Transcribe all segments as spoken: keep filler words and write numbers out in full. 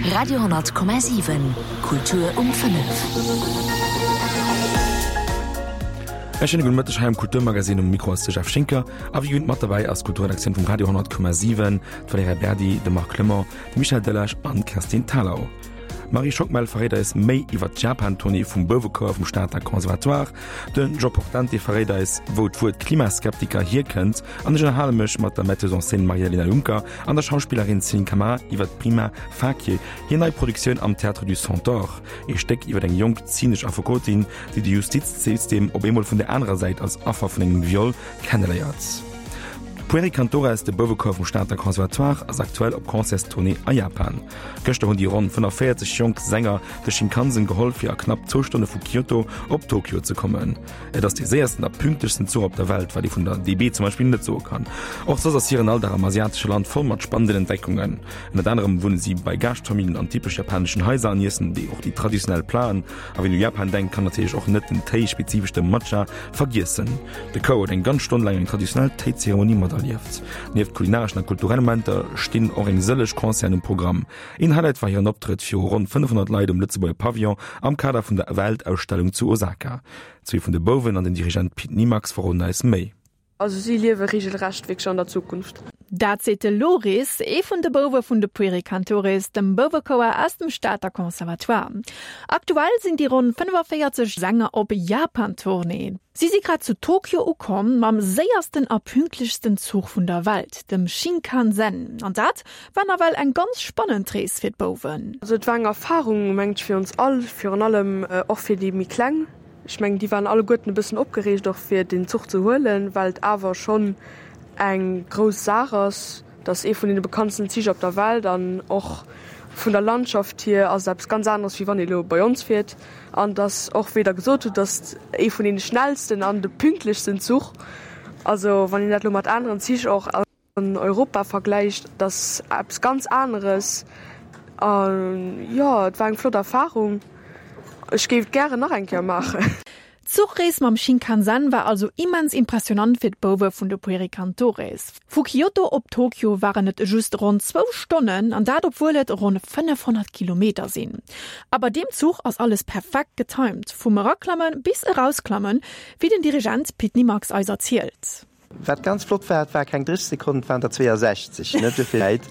Radio honnert Komma siwen, Kultur um fënnef. E schéine gudde Mëtteg hei am Kulturmagazin. Um Mikro ass de Jeff Schinker a wéi gewinnt mat derbäi ass d'Kulturredaktioun vum Radio honnert Komma siwen, d'Valerija Berdi, de Marc Clement, de Michel Delage an d'Kerstin Thalau. D'Marie Schockmel verréit eis méi iwwer d'Japan-Tournée vum Bouwechouer vum Stater Conservatoire, de Joe Portante verréit eis, wou d'Wuert Klimaskeptiker hierkënnt an ech ënnerhale mech mat der Metteuse en scène Maria-Elena Junker an der Schauspillerin Céline Camara iwwer Prima Facie, hir nei Produktioun am Théâtre du Centaure, ee Stéck iwwer eng jonk zynesch Affekotin, déi de Justizsystem op eemol vun der anerer Säit als Affer vun engem Viol kenneléiert. Pueri Cantores, de Bouwechouer vum Stater Conservatoire, ass aktuell op Concertstournée a Japan. Gëschter hunn déi ronn fënnefvéierzeg jonk Sänger de Shinkansen geholl, fir a knapp zwou Stonne vu Kyoto op Tokio ze kommen. Et ass dee séiersten a pünktlechsten Zuch op der Welt, wat ee vun der D B zum Beispill net soe kann. Och soss ass hiren Alldag am asiatesche Land voll mat spannenden Entdeckungen. Ënnert anerem wunne si bei Gaaschtfamilljen an typesch japaneschen Haiser an iessen déi och déi traditionell Platen. A wien u Japan denkt, kann natierlech och net den Téi, spezifesch de Matcha, vergiessen. De Chouer huet eng ganz Stonn laang eng traditionell Téizeremonie materlieft. Nieft kulinareschen a kulturelle Momenter stinn och eng sëlleg Concerten um Programm. Een Highlight war hiren Optrëtt viru ronn fënnefhonnert Leit um Lëtzebuerger Pavillon am Kader vun der Weltausstellung zu Osaka. Zwee vun de Bouwen an den Dirigent Pit Nimax verroden eis méi. Also si liewe regelrecht wierklech an der Zukunft. Dat seet de Loris, ee vun de Bouwe vun de Pueri Cantores, dem Bouwechouer aus dem Stater Conservatoire. Aktuell sinn déi ronn fënnefvéierzeg Sänger op Japan-Tournée. Si si grad zu Tokio ukomm, mam séiersten a pünktlechsten Zuch vun der Welt, dem Shinkansen. An dat war nawell eng ganz spannend Rees fir d'Bouwen. Also et war eng Erfarung, mengen ech, fir ons all, virun allem och fir déi méi Kleng. Ech mengen, déi waren alleguerten e bëssen opgereegt och fir den Zuch ze huelen, well et awer schonn eng grouss Saach ass. Et ass ee vun deene bekanntsten Zich op der Welt an och vun der Landschaft hier ass et eppes ganz aneres, wéi wann ee lo bei ons fiert. An et ass och, wéi Der gesot hutt, et ass ee vun deene schnellsten an de pünktlechsten Zuch. Also wann een dat lo mat aneren Zich och an Europa vergläicht, et ass eppes ganz aneres. An jo, et war eng flott Erfarung. Ech géif et gären nach eng Kéier maachen. D'Zuchrees mam Shinkansen war also immens impressionant fir d'Bouwe vun de Pueri Cantores. Vu Kyoto op Tokio waren et just ronn zwou Stonnen, an dat obwuel et ronn fënnefhonnert Kilometer sinn. A bei deem Zuch ass alles perfekt getimed, vum Eraklammen bis Erausklammen, wéi den Dirigent Pit Nimax eis erzielt. Wat ganz flott war, et war keng dréisseg Sekonnen, et waren der zweeësechzeg, net esou vill Zäit.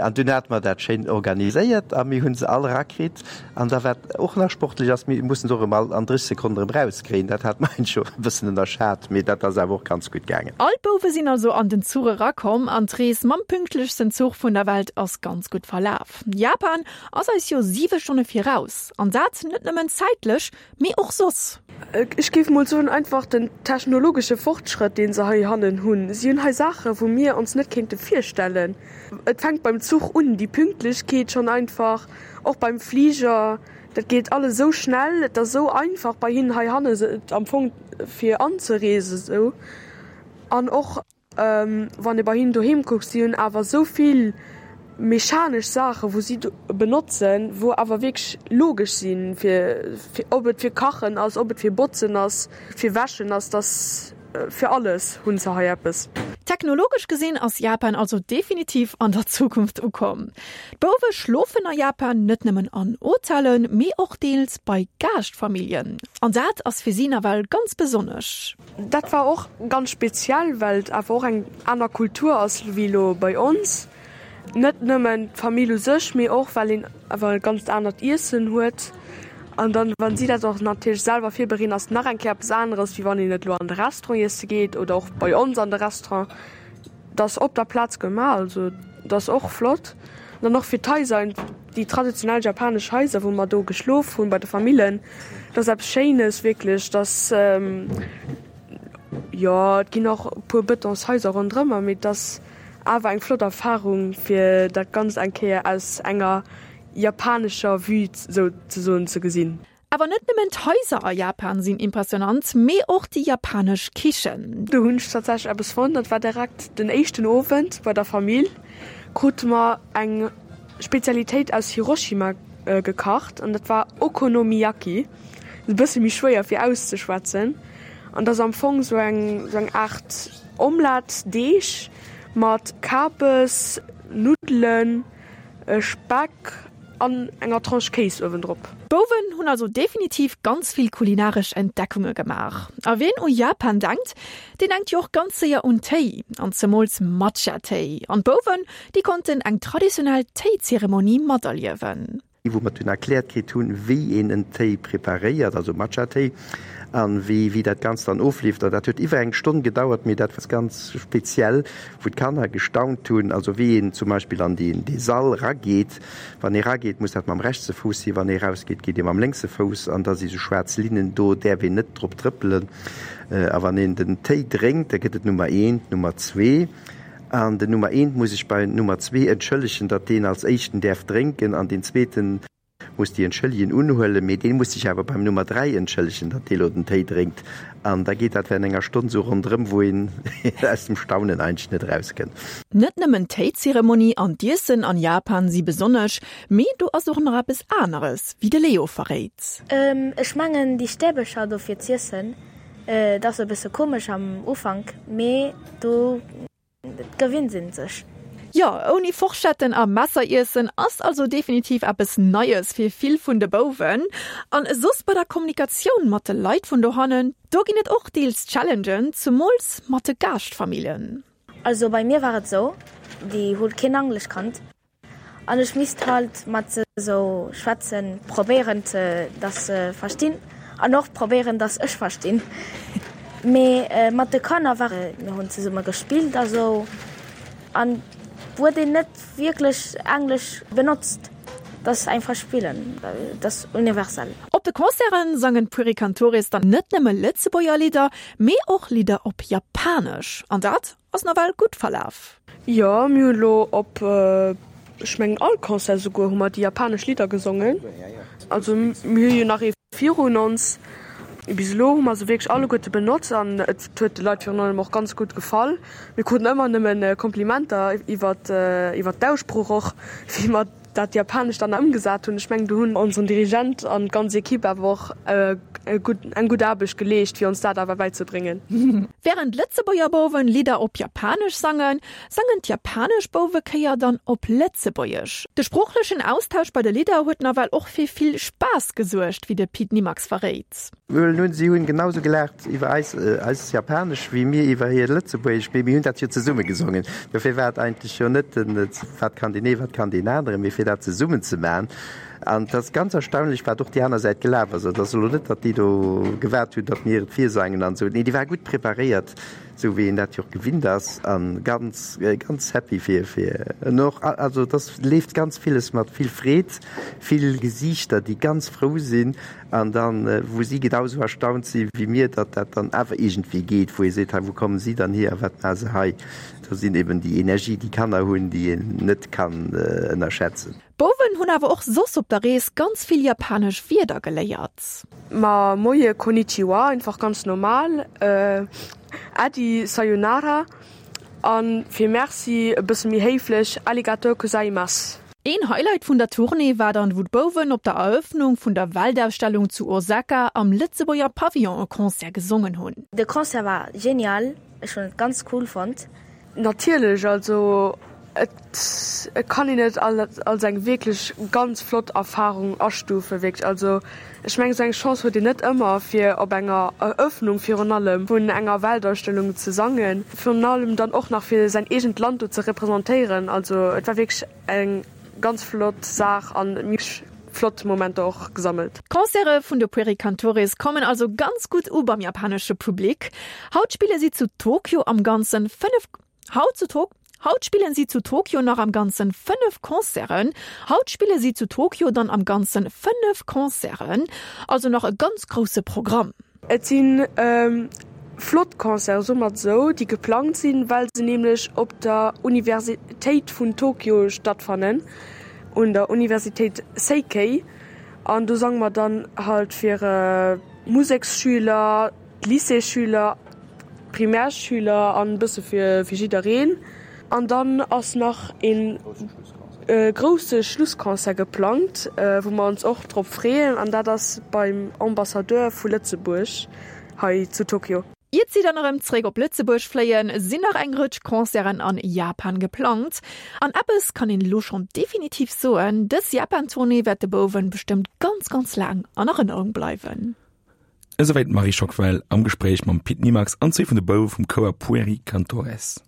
An dunn hate mer dat schéin organiséiert a mir hu se all erakritt. An da wat och nach sportlech ass, mir mussen se och erëm all an dréisseg Sekonnen erëm erauskréien. Dat hat mer eigentlech och e bëssen ënnerschat, mee dat ass awer och ganz gutt gaangen. All d'Bouwe sinn also an den Zuch erakomm an d'Rees mam pünktlechsten Zuch vun der Welt ass ganz gutt verlaf. Japan ass eis jo siwe Stonne viraus, an dat net nëmmen zäitlech, mee och soss. Ech géif mol soen, einfach den technologesche Fortschrëtt, dee se heihannen hunn. Si hunn hei Saachen, wou mir ons net kéinte virstellen. Et fänkt beim Zuch un, déi Pünktlechkeet schonn einfach, och beim Fliger, dat geet alles esou schnell, et ass esou einfach bei hinnen heihanne am Fong fir anzereesen esou. An och wann ee bei hinnen doheem kuckt, si hunn awer esou vill mechanesch Saachen, wou si benotzen, wou awer wierklech logesch sinn, fir, ob et fir Kachen ass, ob et fir Botzen ass, fir Wäschen ass, dass fir alles hunn se hei eppes. Technologesch gesinn ass Japan also definitiv an der Zukunft ukomm. D'Bouwe schlofen a Japan net nëmmen an Hotellen, mee och deels bei Gaaschtfamilljen. An dat ass fir si nawell ganz besonnesch. Dat war och ganz speziell, well et awer och eng aner Kultur ass wéi elo bei ons. Net nëmmen d'Famill u sech, mee och well een awer e ganzt anert Iessen huet. An dann, wann si dat och natierlech selwer virbereeden, ass et nach eng Kéier eppes aneres, wéi wann een et elo an de Restaurant iesse geet oder och bei ons an de Restaurant. Et ass op der Plaz gemaach, also et ass och flott. An dann och fir d'Haiser, déi traditionell japanesch Haiser, wou mer do geschlof hunn bei de Famillen, dat ass eppes Schéines wierklech, dass, jo, et ginn och e puer Bëtonshaiser ronderëmmer, mee et ass awer eng flott Erfarung, fir dat Ganzt eng Kéier aus enger japanescher Vue souzesoen ze gesinn. Awer net nëmmen d'Haiser a Japan sinn impressionant, mee och déi japanesch Kichen. Do hunn ech tatsächlech eppes fonnt, dat war direkt den éischten Owend bei der Famill, krute mer eng Spezialitéit aus Hiroshima gekacht an dat war Okonomiyaki. E bësse méi schwéier fir auszeschwätzen an dat ass am Fong sou eng sou eng Aart Omelette-Deeg mat Kabes, Nuddelen, Speck, an enger Tranche Kéis uewendrop. D'Bouwen hunn also definitiv ganz vill kulinaresch Entdeckunge gemaach. A wien u Japan denkt, deen denkt jo och ganz séier un Téi, an zemools Matcha-Téi. An d'Bouwen, déi konnten eng traditionell Téizeremonie materliewen. Wou mer dunn erkläert kritt hunn, wéi een en Téi preparéiert, also Matcha-Téi, an wéi wéi dat Ganzt dann ofleeft. An dat huet iwwer eng Stonn gedauert, mee dat war ganz speziell, wou d'Kanner gestaunt hunn, also wéi een zum Beispill an deen dee Sall rageet. Wann ee rageet, muss dat mam rechtse Fouss sinn, wann ee rausgeet, geet ee mam lénkse Fouss, an da si sou schwaarz Linnen, do däerf een net drop trëppelen. A wann een den Téi drénkt, da gëtt et Nummer eent, Nummer zwee. An den Nummer eent muss sech bei Nummer zwee entschëllegen, datt deen als éischten däerf drénken an deen zweeten muss déi Entschëllegen unhuelen, mee dee muss sech awer beim Nummer dräi entschëllegen, datt dee lo den Téi drénkt. An da geet dat während enger Stonn sou ronderëm, wou een aus dem Staunen eigentlech net erauskënnt. Net nëmmen d'Téizeremonie an d'Iessen an Japan si besonnesch, mee do ass och nach eppes aneres, wéi de Leo verréit. Ech mengen déi Stäbercher do fir z'iessen, dat ass e bësse komesch am Ufank, mee do gewinnt een sech. Jo, ouni Forschetten a Messer iessen ass also definitiv eppes Neies fir vill vun de Bouwen. An soss bei der Kommunikatioun mat de Leit vun dohannen, do ginn et och deels Challengen, zemools mat de Gaaschtfamilljen. Also bei mir war et sou, déi hu keen Englesch kannt an ech misst halt mat se sou schwätzen, probéieren dass se verstinn an och probéieren dass ech verstinn. Mee mat de Kanner war mir hunn zesumme gespillt a sou an huet een net wierklech Englesch benotzt. Dat ass einfach spillen, dat ass universell. Op de Concerten sangen d'Pueri Cantores dann net nëmme Lëtzebuerger Lidder, mee och Lidder op Japanesch. An dat ass nawell gutt verlaf. Jo, mir hunn elo op, ech mengen all Concert souguer, hu mer déi japanesch Lidder gesongen. Also mir hu jo nach ee virun ons. Bis elo hu mer se wierklech alleguerte benotzt an et huet de Leit virun allem och ganz gutt gefall. Mir kruten ëmmer nëmmen Komplimenter iwwert iwwert d'Aussprooch och, wéi mer dat Japanescht dann ëmgesat hunn. Ech mengen do hunn onseren Dirigent an d'ganz Equipe awer och e gutt eng gutt Aarbecht geleescht, fir ons dat awer bäizebréngen. Wärend d'Lëtzebuerger Bouwen Lidder op Japanesch sangen, sangen d'japanesch Bouwekéier dann op Lëtzebuergesch. De sproochlechen Austausch bei de Lidder huet nawell och fir vill Spaass gesuergt, wéi de Pit Nimax verréit. Well nun, si hunn genau sou gelaacht iwwer eis, eist Japanesch, wéi mir iwwer hiert Lëtzebuergesch, mee mir hunn dat jo zesumme gesongen. Dofir war et eigentlech jo net den, wat kann deen ee, wat kann deen aneren, mee fir dat zesummen ze maachen. An et ass ganz erstaunlech, wat och déi aner Säit gelaf ass. Et ass elo net, datt déi do gewaart hunn, datt mir et virsangen an esou. Nee, déi ware gutt preparéiert, esou wéi een dat jo och gewinnt ass, a ganz, ganz happy fir, fir en och, also et ass, leeft ganz villes mat vill Freed, vill Gesiichter, déi ganz frou sinn an dann, wou si genau esou erstaunt si wéi mir, datt dat dann awer iergendwéi geet, wou ee seet, hei, wou kommen si dann hier a wat maache se hei? Do sinn eben déi Energie, déi Kanner hunn, déi een net kann ënnerschätzen. D'Bouwen hunn awer och soss op der Rees ganz vill japanesch Wierder geléiert. Ma Moie, Konnichiwa, einfach ganz normal, Äddi, Sayonara, a fir Merci e bësse méi héiflech, Arigatou gozaimasu. Een Highlight vun der Tournée war dann, wou d'Bouwen op der Erëffnung vun der Weltausstellung zu Osaka am Lëtzebuerger Pavillon e Concert gesongen hunn. De Concert war genial, ech hunn et ganz cool fonnt. Natierlech, also et kann een et als eng wierklech ganz flott Erfarung astufen, wierklech. Also ech mengen, esou eng Chance huet een net ëmmer, fir op enger Eröffnung virun allem vun enger Weltausstellung ze sangen, virun allem dann och nach fir säin eegent Land do ze representéieren. Also et war wierklech eng ganz flott Saach an mir hu flott Momenter och gesammelt. D'Concerte vun de Pueri Cantores kommen also ganz gutt u beim japanesche Public. Haut spille si zu Tokio am Ganzen fënnef Haut zu Tok Haut spillen si zu Tokio nach am Ganzen fënnef Concerten. Haut spille si zu Tokio dann am Ganzen fënnef Concerten, also nach e ganz grousse Programm. Et si flott Concerten, soe mer et esou, déi geplangt sinn, well se nämlech op der Universitéit vun Tokio stattfannen, un der Universitéit Seikei. An do sange mer dann halt fir Museksschüler, d'Lycéesschüler, Primärschüler an e bësse fir jiddereen. An dann ass nach e grousse Schlussconcert geplangt, wou mer ons och drop freeën, an dat ass beim Ambassadeur vu Lëtzebuerg hei zu Tokio. Iert si dann erëm zréck op Lëtzebuerg fléien, sinn nach eng Rëtsch Concerten an Japan geplangt. An eppes kann een elo schonn definitiv soen, dës Japan-Tournée wäert de Bouwen bestëmmt ganz, ganz laang an Erënnerung bleiwen. Esouwäit d'Marie Schockwell am Gespréich mam Pit Nimax an zwee vun de Bouwe vum Chouer Pueri Cantores.